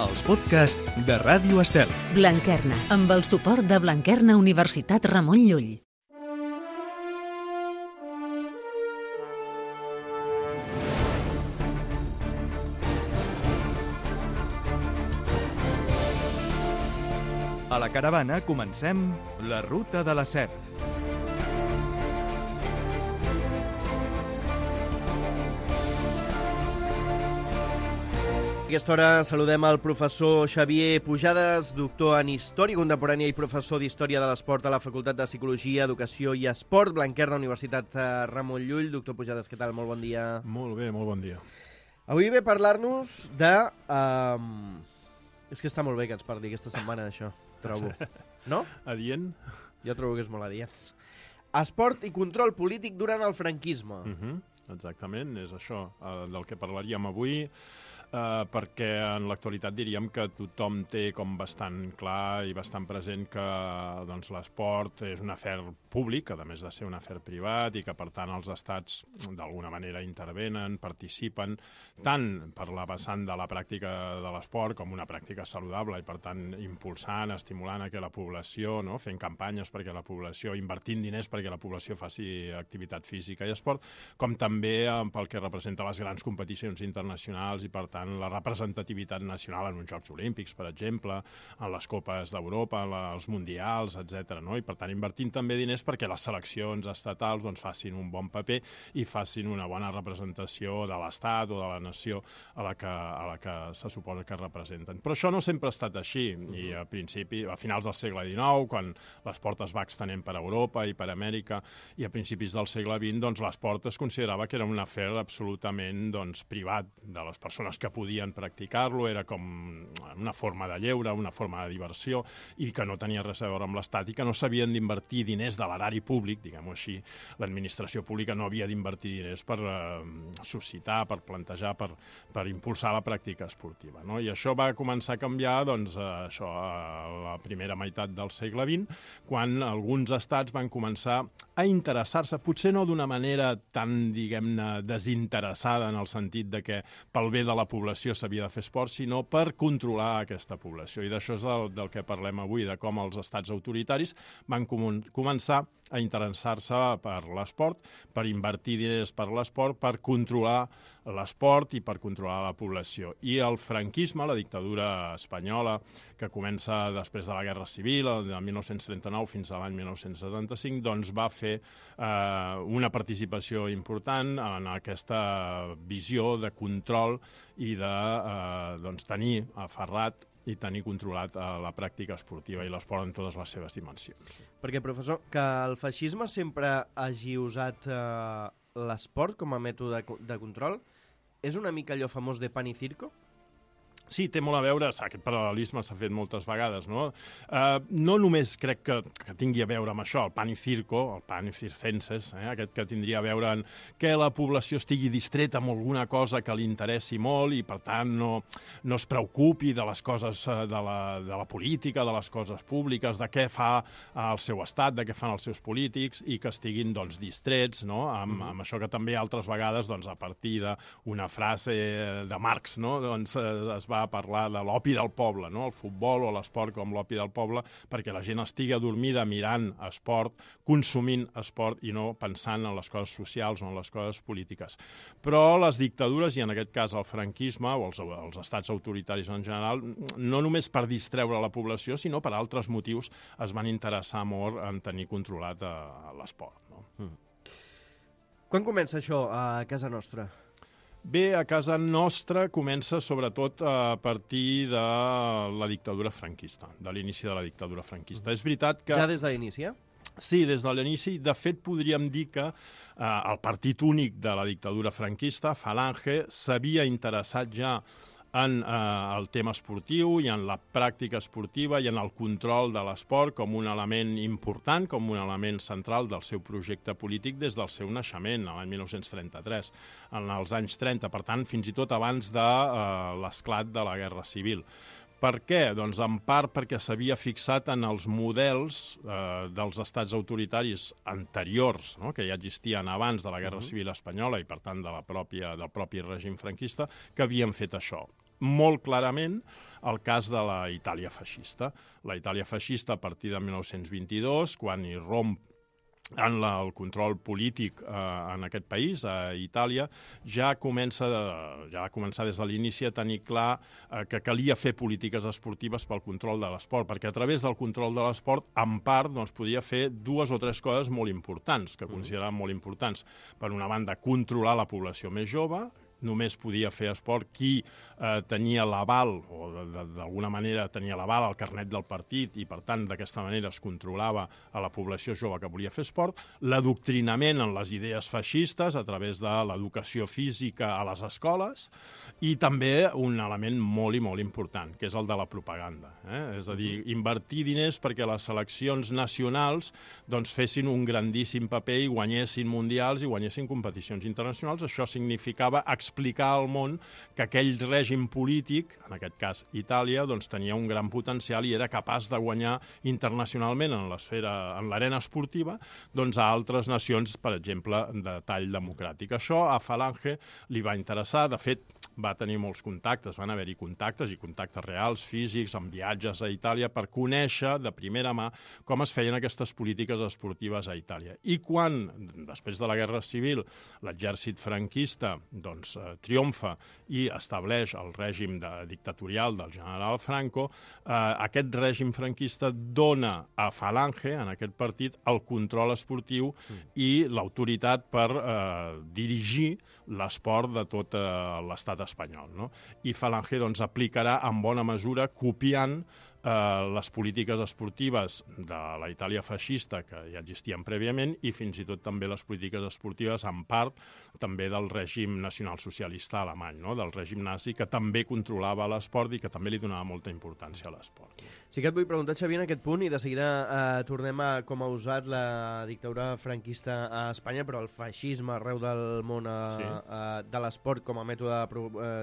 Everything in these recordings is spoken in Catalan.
els podcasts de Ràdio Estel. Blanquerna, amb el suport de Blanquerna Universitat Ramon Llull. A la caravana comencem la Ruta de la Set. A aquesta hora saludem el professor Xavier Pujades, doctor en Història Contemporània i professor d'Història de l'Esport a la Facultat de Psicologia, Educació i Esport, Blanquerna Universitat Ramon Llull. Doctor Pujades, què tal? Molt bon dia. Molt bé, molt bon dia. Avui ve a parlar-nos de... És que està molt bé que ens parli aquesta setmana d'això, trobo. No? Adient? Jo trobo que és molt adient. Esport i control polític durant el franquisme. Exactament, és això del que parlaríem avui, perquè en l'actualitat diríem que tothom té com bastant clar i bastant present que doncs, l'esport és un afer públic, a més de ser un afer privat, i que per tant els estats d'alguna manera intervenen, participen, tant per la vessant de la pràctica de l'esport com una pràctica saludable, i per tant impulsant, estimulant a que la població, no, fent campanyes perquè la població, invertint diners perquè la població faci activitat física i esport, com també pel que representa les grans competicions internacionals i per tant la representativitat nacional en uns Jocs Olímpics, per exemple, en les Copes d'Europa, en els Mundials, etc. No? I per tant invertint també diners perquè les seleccions estatals doncs, facin un bon paper i facin una bona representació de l'Estat o de la nació a la que se suposa que representen. Però això no sempre ha estat així, i a finals del segle XIX, quan l'esport es va extenent per Europa i per Amèrica, i a principis del segle XX, doncs, l'esport es considerava que era un afer absolutament doncs, privat de les persones que podien practicar-lo, era com una forma de lleure, una forma de diversió, i que no tenia res a veure amb l'Estat, i que no s'havien d'invertir diners de l'erari públic, diguem-ho així. L'administració pública no havia d'invertir diners per suscitar, per plantejar, per impulsar la pràctica esportiva. No? I això va començar a canviar doncs, això, a la primera meitat del segle XX, quan alguns estats van començar a interessar-se, potser no d'una manera tan, diguem-ne, desinteressada en el sentit de que pel bé de la població s'havia de fer esport, sinó per controlar aquesta població. I d'això és del que parlem avui, de com els estats autoritaris van començar a interessar-se per l'esport, per invertir diners per l'esport, per controlar l'esport i per controlar la població. I el franquisme, la dictadura espanyola, que comença després de la Guerra Civil, de 1939 fins a l'any 1975, doncs va fer una participació important en aquesta visió de control i de tenir aferrat i tenir controlat la pràctica esportiva i l'esport en totes les seves dimensions. Perquè, professor, que el feixisme sempre hagi usat l'esport com a mètode de control és una mica allò famós de pan y circo? Sí, té molt a veure, aquest paral·lelisme s'ha fet moltes vegades, no? No només crec que tingui a veure amb això, el pan y circo, el pan y circenses, aquest que tindria a veure en que la població estigui distreta amb alguna cosa que li interessi molt i, per tant, no es preocupi de les coses de la política, de les coses públiques, de què fa el seu estat, de què fan els seus polítics i que estiguin, doncs, distrets, no?, amb això que també altres vegades, doncs, a partir d'una frase de Marx, no?, doncs es va a parlar de l'opi del poble, no? El futbol o l'esport com l'opi del poble, perquè la gent estigui adormida mirant esport, consumint esport i no pensant en les coses socials o en les coses polítiques. Però les dictadures, i en aquest cas el franquisme o els estats autoritaris en general, no només per distreure la població, sinó per altres motius es van interessar molt en tenir controlat l'esport. No? Quan comença això a casa nostra? Bé, a casa nostra comença sobretot a partir de la dictadura franquista, de l'inici de la dictadura franquista. És veritat que... Ja des de l'inici, Sí, des de l'inici. De fet, podríem dir que el partit únic de la dictadura franquista, Falange, s'havia interessat ja en el tema esportiu i en la pràctica esportiva i en el control de l'esport com un element important, com un element central del seu projecte polític des del seu naixement, l'any 1933, en els anys 30, per tant, fins i tot abans de l'esclat de la Guerra Civil. Per què? Doncs en part perquè s'havia fixat en els models dels estats autoritaris anteriors, no?, que ja existien abans de la Guerra Civil Espanyola i, per tant, del propi règim franquista, que havien fet això. molt clarament el cas de la Itàlia feixista. La Itàlia feixista a partir de 1922, quan hi romp en el control polític en aquest país, a Itàlia, ja va començar des de l'inici a tenir clar que calia fer polítiques esportives pel control de l'esport, perquè a través del control de l'esport, en part, podia fer 2 o 3 coses molt importants, que consideraven molt importants. Per una banda, controlar la població més jove. Només podia fer esport qui tenia l'aval, o d'alguna manera tenia l'aval al carnet del partit, i per tant d'aquesta manera es controlava a la població jove que volia fer esport. L'adoctrinament en les idees feixistes a través de l'educació física a les escoles, i també un element molt i molt important, que és el de la propaganda. És a dir, invertir diners perquè les seleccions nacionals fessin un grandíssim paper i guanyessin mundials i guanyessin competicions internacionals. Això significava explicar al món que aquell règim polític, en aquest cas Itàlia, tenia un gran potencial i era capaç de guanyar internacionalment en l'arena esportiva a altres nacions, per exemple, de tall democràtic. Això a Falange li va interessar. De fet, va tenir molts contactes, van haver-hi contactes i contactes reals, físics, amb viatges a Itàlia, per conèixer de primera mà com es feien aquestes polítiques esportives a Itàlia. I quan, després de la Guerra Civil, l'exèrcit franquista triomfa i estableix el règim dictatorial del general Franco, aquest règim franquista dona a Falange, en aquest partit, el control esportiu i l'autoritat per dirigir l'esport de tot l'estat espanyol, no? I Falange aplicarà en bona mesura, copiant les polítiques esportives de la Itàlia feixista, que ja existien prèviament, i fins i tot també les polítiques esportives, en part, també del règim nacionalsocialista alemany, no? Del règim nazi, que també controlava l'esport i que també li donava molta importància a l'esport. Sí que et vull preguntar, Xavier, en aquest punt, i de seguida tornem a com ha usat la dictadura franquista a Espanya, però el feixisme arreu del món de l'esport com a mètode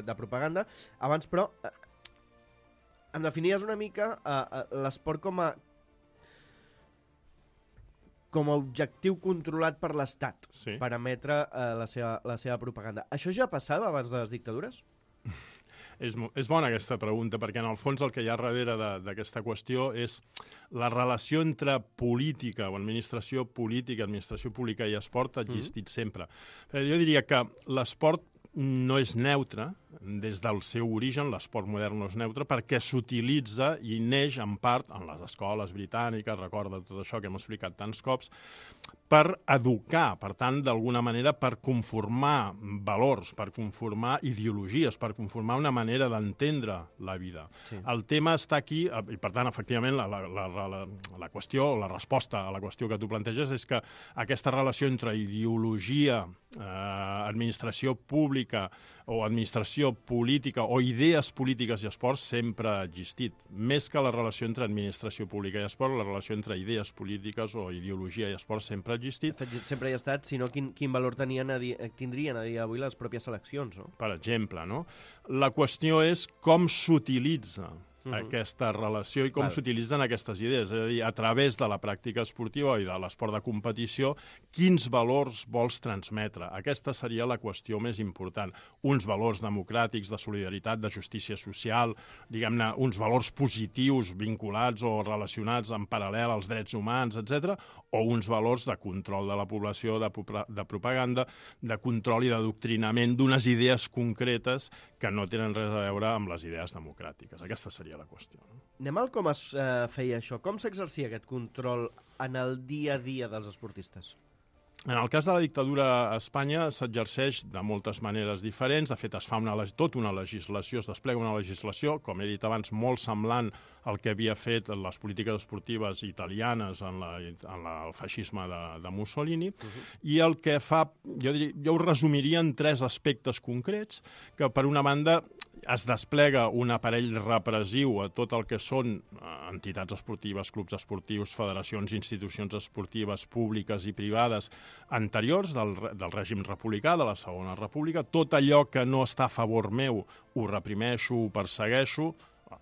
de propaganda. Abans, però, em definies una mica l'esport com a objectiu controlat per l'Estat, per emetre la seva propaganda. Això ja passava abans de les dictadures? És bona aquesta pregunta, perquè en el fons el que hi ha darrere d'aquesta qüestió és la relació entre política o administració pública i esport ha existit sempre. Jo diria que l'esport no és neutre, des del seu origen, l'esport modern no és neutre, perquè s'utilitza i neix en part en les escoles britàniques, recorda tot això que hem explicat tants cops, per educar, per tant, d'alguna manera, per conformar valors, per conformar ideologies, per conformar una manera d'entendre la vida. Sí. El tema està aquí, i per tant, efectivament, la qüestió, la resposta a la qüestió que tu planteges és que aquesta relació entre ideologia, administració pública o administració política o idees polítiques i esport sempre ha existit. Més que la relació entre administració pública i esport, la relació entre idees polítiques o ideologia i esport sempre ha existit. De fet, sempre hi ha estat, sinó quin valor tindrien a dia d'avui les pròpies seleccions, no? Per exemple, no? La qüestió és com s'utilitza aquesta relació i com s'utilitzen aquestes idees. És a dir, a través de la pràctica esportiva i de l'esport de competició, quins valors vols transmetre? Aquesta seria la qüestió més important. Uns valors democràtics, de solidaritat, de justícia social, diguem-ne, uns valors positius vinculats o relacionats en paral·lel als drets humans, etc., o uns valors de control de la població, de propaganda, de control i d'adoctrinament d'unes idees concretes que no tenen res a veure amb les idees democràtiques. Aquesta seria la qüestió. No? Anem al com es feia això. Com s'exercia aquest control en el dia a dia dels esportistes? En el cas de la dictadura a Espanya s'exerceix de moltes maneres diferents. De fet, es fa tota una legislació, es desplega una legislació, com he dit abans, molt semblant al que havia fet les polítiques esportives italianes en el feixisme de Mussolini. I el que fa, jo ho resumiria en 3 aspectes concrets, que per una banda es desplega un aparell repressiu a tot el que són entitats esportives, clubs esportius, federacions, institucions esportives públiques i privades anteriors del règim republicà, de la Segona República. Tot allò que no està a favor meu ho reprimeixo, ho persegueixo,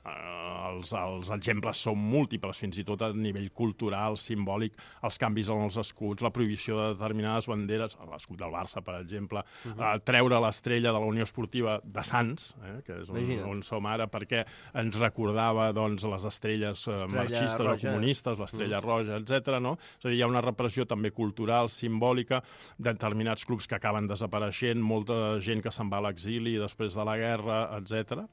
els exemples són múltiples, fins i tot a nivell cultural, simbòlic, els canvis en els escuts, la prohibició de determinades banderes, l'escut del Barça, per exemple, treure l'estrella de la Unió Esportiva de Sants, que és on som ara, perquè ens recordava doncs, les estrelles marxistes o comunistes, l'estrella roja, etc. No? És a dir, hi ha una repressió també cultural, simbòlica, de determinats clubs que acaben desapareixent, molta gent que se'n va a l'exili després de la guerra, etc.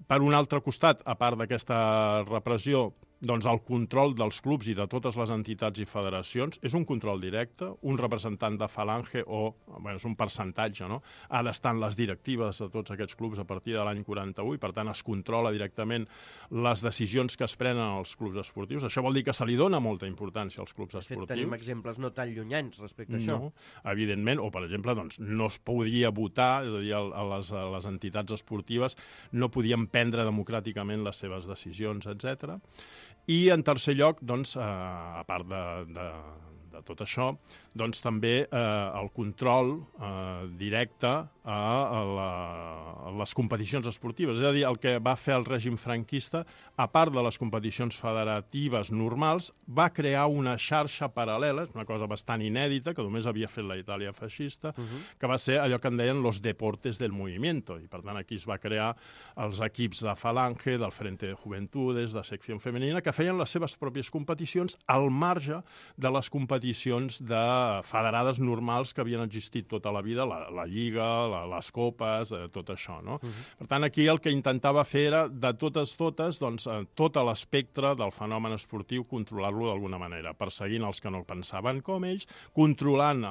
Per un altre costat, a part d'aquesta repressió, doncs el control dels clubs i de totes les entitats i federacions és un control directe. Un representant de Falange, és un percentatge, no? Ha d'estar en les directives de tots aquests clubs a partir de l'any 41 i, per tant, es controla directament les decisions que es prenen als clubs esportius. Això vol dir que se li dona molta importància als clubs esportius. De fet, tenim exemples no tan llunyans respecte a això. No, evidentment, o, per exemple, doncs, no es podia votar, és a dir, les entitats esportives no podien prendre democràticament les seves decisions, etc. I, en tercer lloc, doncs, a part de tot això, doncs també el control directe a les competicions esportives. És a dir, el que va fer el règim franquista, a part de les competicions federatives normals, va crear una xarxa paral·lela, una cosa bastant inèdita, que només havia fet la Itàlia feixista, que va ser allò que en deien los deportes del movimiento. I, per tant, aquí es va crear els equips de Falange, del Frente de Juventudes, de Secció Femenina, que feien les seves pròpies competicions al marge de les competicions federades normals que havien existit tota la vida, la Lliga, les copes, tot això, no? Per tant, aquí el que intentava fer era, de totes, doncs, tot l'espectre del fenomen esportiu, controlar-lo d'alguna manera, perseguint els que no pensaven com ells, controlant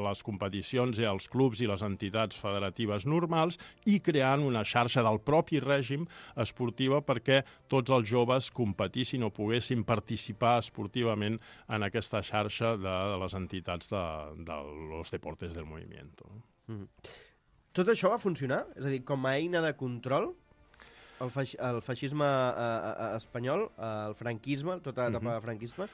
les competicions i els clubs i les entitats federatives normals i creant una xarxa del propi règim esportiva perquè tots els joves competissin o poguessin participar esportivament en aquesta xarxa de les entitats de los deportes del movimiento. Tot això va funcionar? És a dir, com a eina de control, el feixisme espanyol, el franquisme, tota l'etapa de franquisme?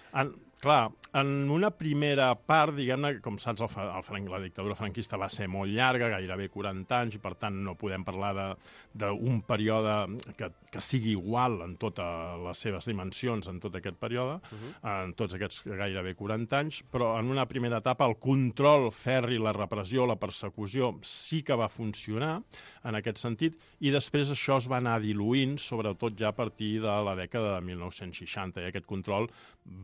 Clar, en una primera part, diguem-ne, com saps, la dictadura franquista va ser molt llarga, gairebé 40 anys, i per tant no podem parlar d'un període que sigui igual en totes les seves dimensions en tot aquest període, en tots aquests gairebé 40 anys, però en una primera etapa el control ferri, la repressió, la persecució sí que va funcionar en aquest sentit, i després això es va anar diluint, sobretot ja a partir de la dècada de 1960, i aquest control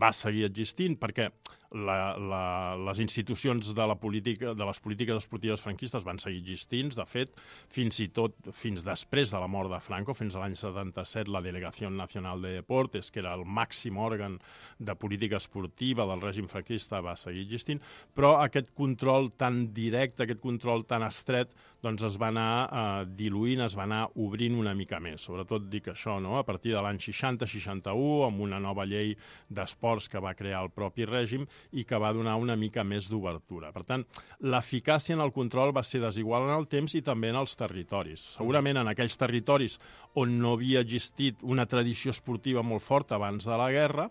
va seguir existint perquè les institucions de les polítiques esportives franquistes van seguir existint. De fet, fins i tot fins després de la mort de Franco, fins a l'any 77, la Delegació Nacional de Deportes, que era el màxim òrgan de política esportiva del règim franquista, va seguir existint, però aquest control tan directe, aquest control tan estret, doncs es va anar diluint, es va anar obrint una mica més. Sobretot dic això, no? A partir de l'any 60-61, amb una nova llei d'esports que va crear el propi règim i que va donar una mica més d'obertura. Per tant, l'eficàcia en el control va ser desigual en el temps i també en els territoris. Segurament en aquells territoris on no havia existit una tradició esportiva molt forta abans de la guerra,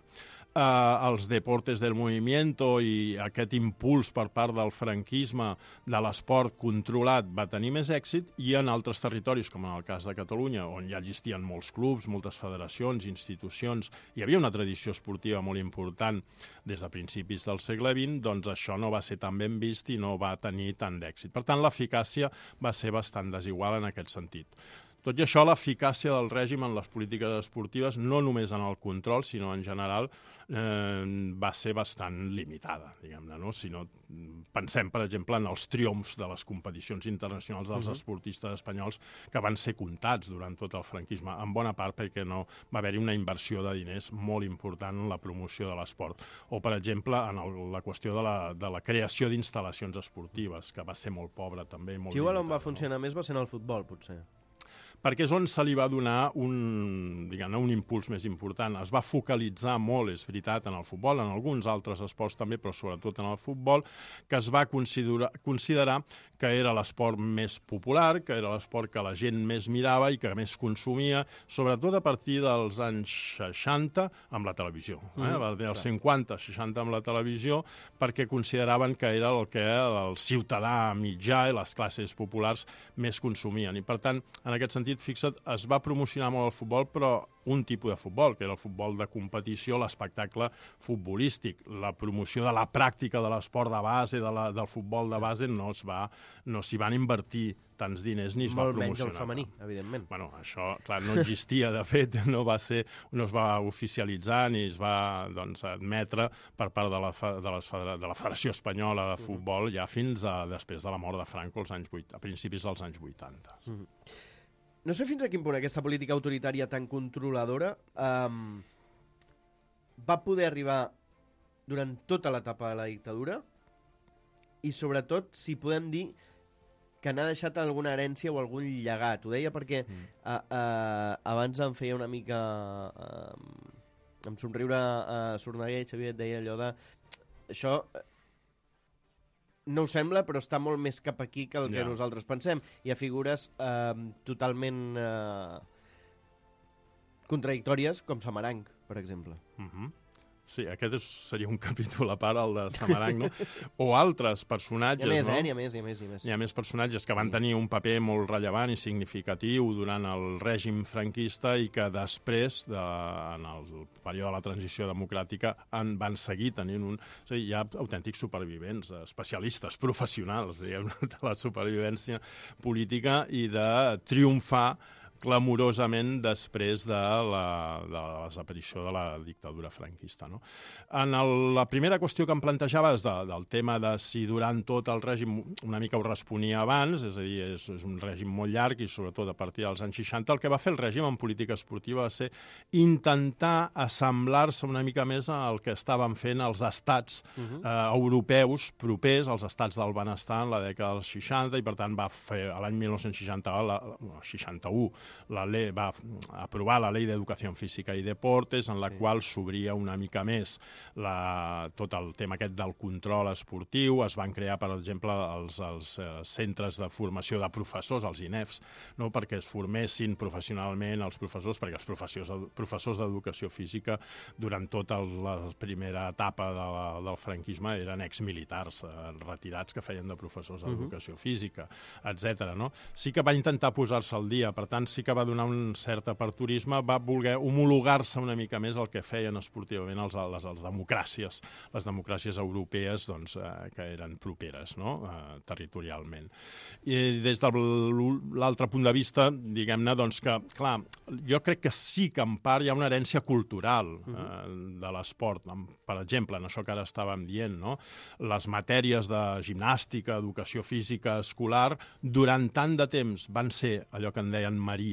els deportes del movimiento i aquest impuls per part del franquisme de l'esport controlat va tenir més èxit, i en altres territoris, com en el cas de Catalunya, on ja existien molts clubs, moltes federacions, institucions, hi havia una tradició esportiva molt important des de principis del segle XX, doncs això no va ser tan ben vist i no va tenir tant d'èxit. Per tant, l'eficàcia va ser bastant desigual en aquest sentit. Tot i això, l'eficàcia del règim en les polítiques esportives, no només en el control, sinó en general, va ser bastant limitada, diguem-ne, no? Si no, pensem, per exemple, en els triomfs de les competicions internacionals dels esportistes espanyols, que van ser comptats durant tot el franquisme, en bona part perquè no va haver-hi una inversió de diners molt important en la promoció de l'esport. O, per exemple, en la qüestió de la creació d'instal·lacions esportives, que va ser molt pobra també. Qui igual on va funcionar més va ser en el futbol, potser. Perquè és on se li va donar un impuls més important. Es va focalitzar molt, és veritat, en el futbol, en alguns altres esports també, però sobretot en el futbol, que es va considerar que era l'esport més popular, que era l'esport que la gent més mirava i que més consumia, sobretot a partir dels anys 60 amb la televisió. Dels 50-60 amb la televisió, perquè consideraven que era el que el ciutadà mitjà i les classes populars més consumien. I, per tant, en aquest sentit, sentit, fixa't, es va promocionar molt el futbol, però un tipus de futbol, que era el futbol de competició, l'espectacle futbolístic. La promoció de la pràctica de l'esport de base, del futbol de base, no s'hi van invertir tants diners ni es va promocionar. Molt menys el femení, evidentment. Bueno, això, clar, no existia, de fet, no es va oficialitzar ni es va admetre per part de la Federació Espanyola de Futbol ja fins després de la mort de Franco a principis dels anys 80. No sé fins a quin punt aquesta política autoritària tan controladora va poder arribar durant tota l'etapa de la dictadura i, sobretot, si podem dir que n'ha deixat alguna herència o algun llegat. Ho deia perquè abans em feia una mica... em somriure Sorneguer, Xavier, et deia allò de... Això... no ho sembla, però està molt més cap aquí que el que nosaltres pensem. Hi ha figures totalment contradictòries, com Samaranch, per exemple. Sí, aquest seria un capítol a part, el de Samaranch, no? O altres personatges, no? Hi ha més personatges que van tenir un paper molt rellevant i significatiu durant el règim franquista i que després, en el període de la transició democràtica, van seguir tenint és a dir, hi ha autèntics supervivents, especialistes, professionals, diguem, de la supervivència política i de triomfar clamorosament després de la desaparició de la dictadura franquista. No? En la primera qüestió que em plantejava és del tema de si durant tot el règim una mica ho responia abans, és a dir, és un règim molt llarg i sobretot a partir dels anys 60, el que va fer el règim en política esportiva va ser intentar assemblar-se una mica més al que estaven fent els estats europeus propers, els estats del benestar en la dècada dels 60, i per tant va fer l'any 1961 va aprovar la Ley d'Educació Física i Deportes, en la qual s'obria una mica més tot el tema aquest del control esportiu. Es van crear, per exemple, els centres de formació de professors, els INEFs, no? Perquè es formessin professionalment els professors, perquè els professors d'educació física durant tota la primera etapa del franquisme eren exmilitars retirats que feien de professors d'educació física, etc. No? Sí que va intentar posar-se al dia, per tant, sí que va donar un cert aperturisme, va voler homologar-se una mica més el que feien esportivament les democràcies europees que eren properes, no? Territorialment. I des de l'altre punt de vista, diguem-ne, que, clar, jo crec que sí que en part hi ha una herència cultural de l'esport. Per exemple, en això que ara estàvem dient, no? Les matèries de gimnàstica, educació física, escolar, durant tant de temps van ser allò que en deien maries,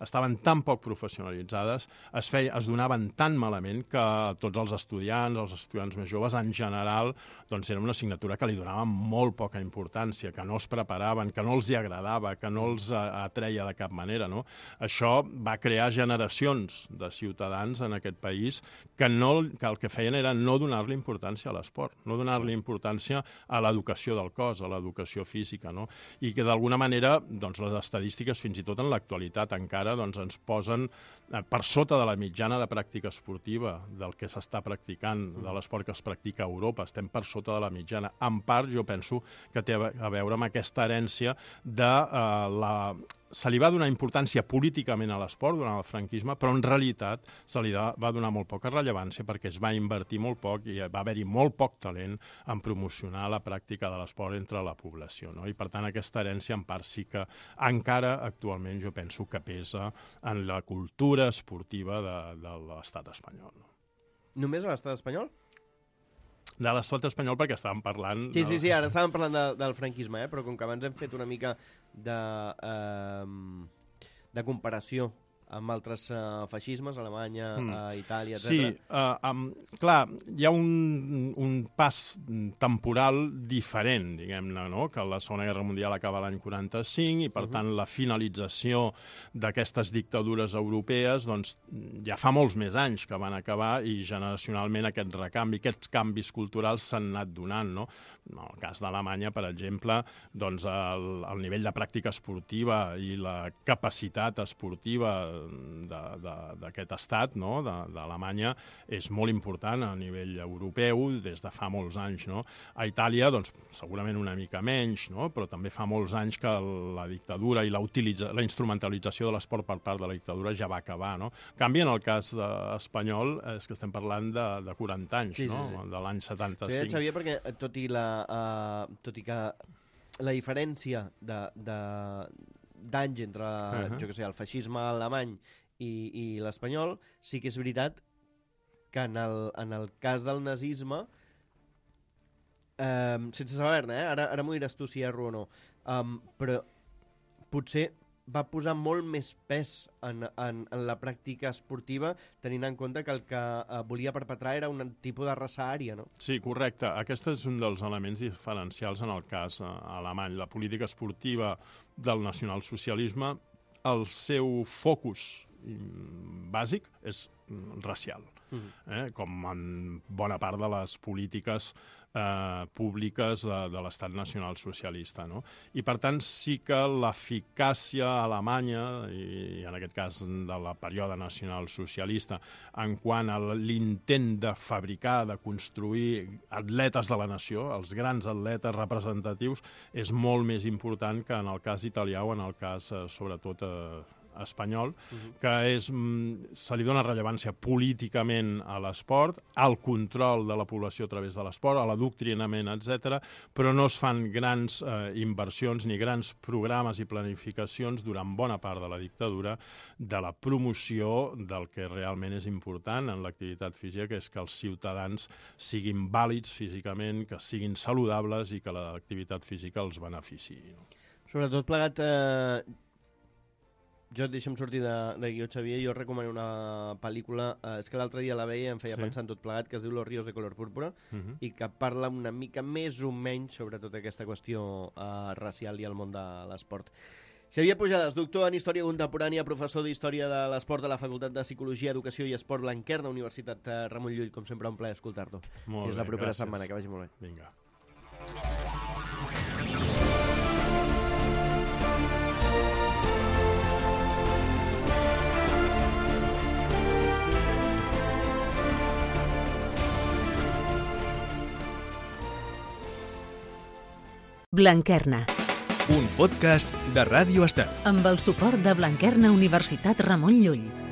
estaven tan poc professionalitzades, es donaven tan malament que tots els estudiants més joves en general, era una assignatura que li donaven molt poca importància, que no es preparaven, que no els hi agradava, que no els atreia de cap manera. No? Això va crear generacions de ciutadans en aquest país que el que feien era no donar-li importància a l'esport, no donar-li importància a l'educació del cos, a l'educació física, no? I que d'alguna manera les estadístiques, fins i tot en l'actualitat encara, ens posen per sota de la mitjana de pràctica esportiva del que s'està practicant, de l'esport que es practica a Europa. Estem per sota de la mitjana. En part, jo penso que té a veure amb aquesta herència de se li va donar importància políticament a l'esport durant el franquisme, però en realitat se li va donar molt poca rellevància perquè es va invertir molt poc i va haver-hi molt poc talent en promocionar la pràctica de l'esport entre la població. No? I per tant aquesta herència en part sí que encara actualment jo penso que pesa en la cultura esportiva de l'estat espanyol. No? Només a l'estat espanyol? De l'estat espanyol perquè estàvem parlant... Sí, ara estàvem parlant del franquisme, però com que abans hem fet una mica de comparació amb altres feixismes, Alemanya, Itàlia, etc. Sí, clar, hi ha un pas temporal diferent, diguem-ne, no? Que la Segona Guerra Mundial acaba l'any 45 i, per tant, la finalització d'aquestes dictadures europees ja fa molts més anys que van acabar i generacionalment aquest recanvi, aquests canvis culturals s'han anat donant, no? En el cas d'Alemanya, per exemple, el nivell de pràctica esportiva i la capacitat esportiva d'aquest estat, no? d'Alemanya, és molt important a nivell europeu des de fa molts anys. No? A Itàlia, doncs, segurament una mica menys, no? Però també fa molts anys que la dictadura i la instrumentalització de l'esport per part de la dictadura ja va acabar. No? En canvi, en el cas espanyol, és que estem parlant de 40 anys, sí, no? Sí. De l'any 75. Sí, Xavier, perquè tot i que la diferència d'anys entre jo que sé, el feixisme alemany i l'espanyol, sí que és veritat que en el cas del nazisme, sense saber-ne, ara m'ho diràs tu si erro o no, però potser va posar molt més pes en la pràctica esportiva, tenint en compte que el que volia perpetrar era un tipus de raça ària, no? Sí, correcte. Aquest és un dels elements diferencials en el cas alemany. La política esportiva del nacionalsocialisme, el seu focus bàsic és racial, com en bona part de les polítiques públiques de l'estat nacional socialista. No? I, per tant, sí que l'eficàcia alemanya, i en aquest cas de la període nacional socialista, en quant a l'intent de fabricar, de construir atletes de la nació, els grans atletes representatius, és molt més important que en el cas italià o en el cas, sobretot, espanyol, que se li dona rellevància políticament a l'esport, al control de la població a través de l'esport, a l'adoctrinament, etc., però no es fan grans inversions ni grans programes i planificacions durant bona part de la dictadura de la promoció del que realment és important en l'activitat física, que és que els ciutadans siguin vàlids físicament, que siguin saludables i que l'activitat física els beneficiï. Sobretot plegat... Jo, deixa'm sortir de guió, Xavier, jo recomano una pel·lícula, és que l'altre dia la veia i em feia pensar en tot plegat, que es diu Los ríos de color púrpura, i que parla una mica més o menys sobre tota aquesta qüestió racial i el món de l'esport. Xavier Pujades, doctor en Història Contemporània, professor d'Història de l'Esport de la Facultat de Psicologia, Educació i Esport Blanquerna, Universitat Ramon Llull. Com sempre, un plaer escoltar-lo. Fins la propera setmana, que vagi molt bé. Vinga. Blanquerna. Un podcast de Ràdio Estel. Amb el suport de Blanquerna Universitat Ramon Llull.